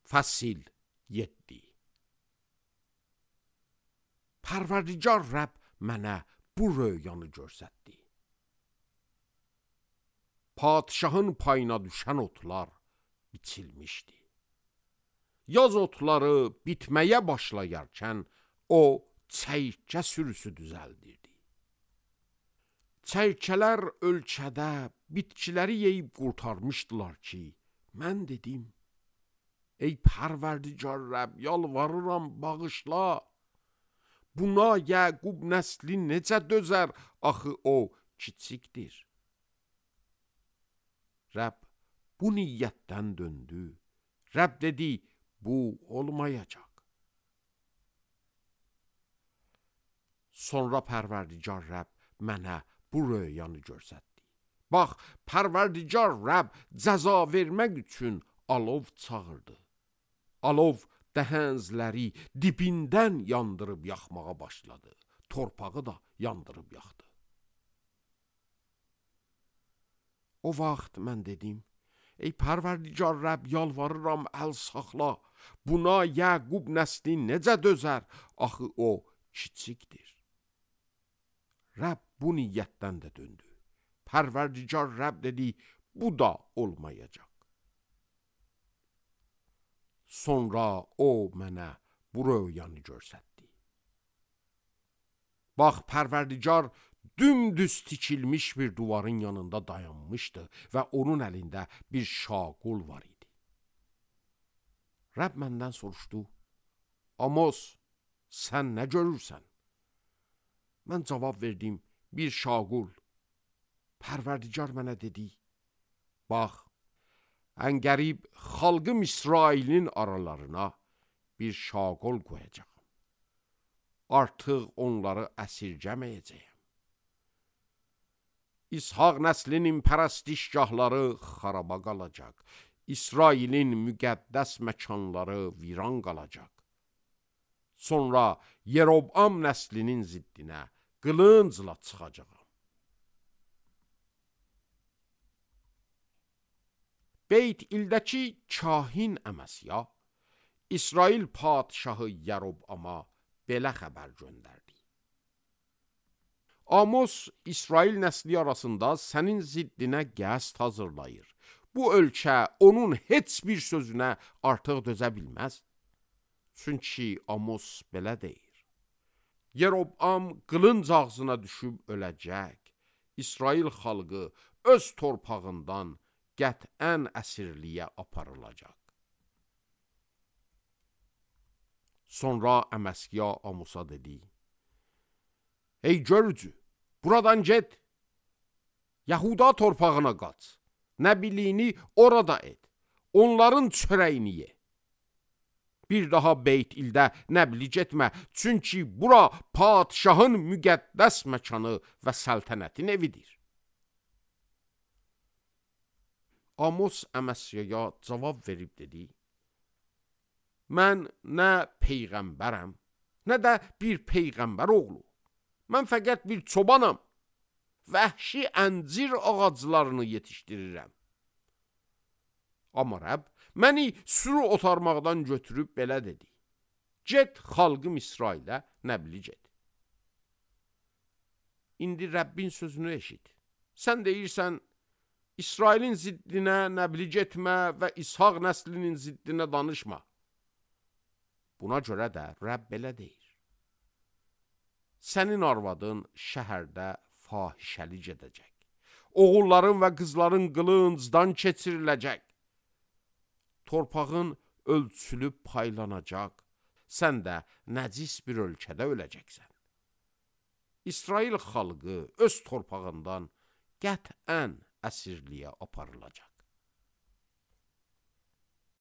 Fəsil 7. Pərverdigar Rəbb mənə bu röyanı görsətdi. Padişahın payına düşən otlar biçilmişdi. Yaz otları bitməyə başlayarkən o çəyirkə sürüsü düzəldirdi. Çəyirkələr ölkədə bitkiləri yeyib qurtarmışdılar ki, mən dedim, ey Pərverdigar Rəbb, yalvarıram, bağışla. Buna Yəqub nəsli necə dözər, axı o kiçikdir. Rəbb bu niyyətdən döndü. Rəbb dedi, bu olmayacaq. Sonra Pərverdigar Rəbb mənə bu röyanı görsətdi. Bax, Pərverdigar Rəbb cəza vermək üçün alov çağırdı. Alov dəhənzləri dibindən yandırıb yaxmağa başladı. Torpağı da yandırıb yaxdı. O vaxt mən dedim, ey Pərverdigar Rəbb, yalvarıram, əl saxla. Buna Yəqub nəsli necə dözər, axı o kiçikdir. Rəbb bu niyyətdən də döndü. Pərverdigar Rəbb dedi, bu da olmayacaq. Sonra o mənə bu röyanı görsətdi. Bax, Pərverdigar dümdüz tikilmiş bir duvarın yanında dayanmışdı və onun əlində bir şaqul var idi. Rəbb məndən soruşdu, Amos, sən nə görürsən? Mən cavab verdim, bir şaqul. Pərverdigar mənə dedi, bax, ən qərib xalqım İsrailin aralarına bir şaqul qoyacağım. Artıq onları əsirgəməyəcəyəm. İshaq nəslinin pərəstişgahları xaraba qalacaq. İsrailin müqəddəs məkanları viran qalacaq. Sonra Yerobam nəslinin ziddinə qılıncla çıxacağam. Beyt ildəki kahin Əməsya, İsrail padişahı Yerobama belə xəbər göndərdi. Amos İsrail nəsli arasında sənin ziddinə qəsd hazırlayır. Bu ölkə onun heç bir sözünə artıq dözə bilməz. Çünki Amos belə deyir. Yerobam qılınc ağzına düşüb öləcək. İsrail xalqı öz torpağından qətən əsirliyə aparılacaq. Sonra Əməsya Amosa dedi, ey görücü, buradan get, Yahuda torpağına qaç, nəbiliyini orada et, onların çörəyini ye. Bir daha Beyt ildə nəbli getmə, çünki bura padişahın müqəddəs məkanı və səltənətin evidir. Amos Əməsyaya cavab verib dedi, mən nə peyğəmbərəm, nə də bir peyğəmbər oğlu. Mən fəqət bir çobanam, vəhşi əncir ağaclarını yetişdirirəm. Amma Rəbb məni sürü otarmaqdan götürüb belə dedi, get xalqım İsrailə nəbli get. İndi Rəbbin sözünü eşit. Sən deyirsən, İsrailin ziddinə nəbli getmə və İshaq nəslinin ziddinə danışma. Buna görə də Rəbb belə deyir. Sənin arvadın şəhərdə fahişəli gedəcək. Oğulların və qızların qılıncdan keçiriləcək. Torpağın ölçülüb paylanacaq. Sən də nəcis bir ölkədə öləcəksən. İsrail xalqı öz torpağından qətən əsirliyə aparılacaq.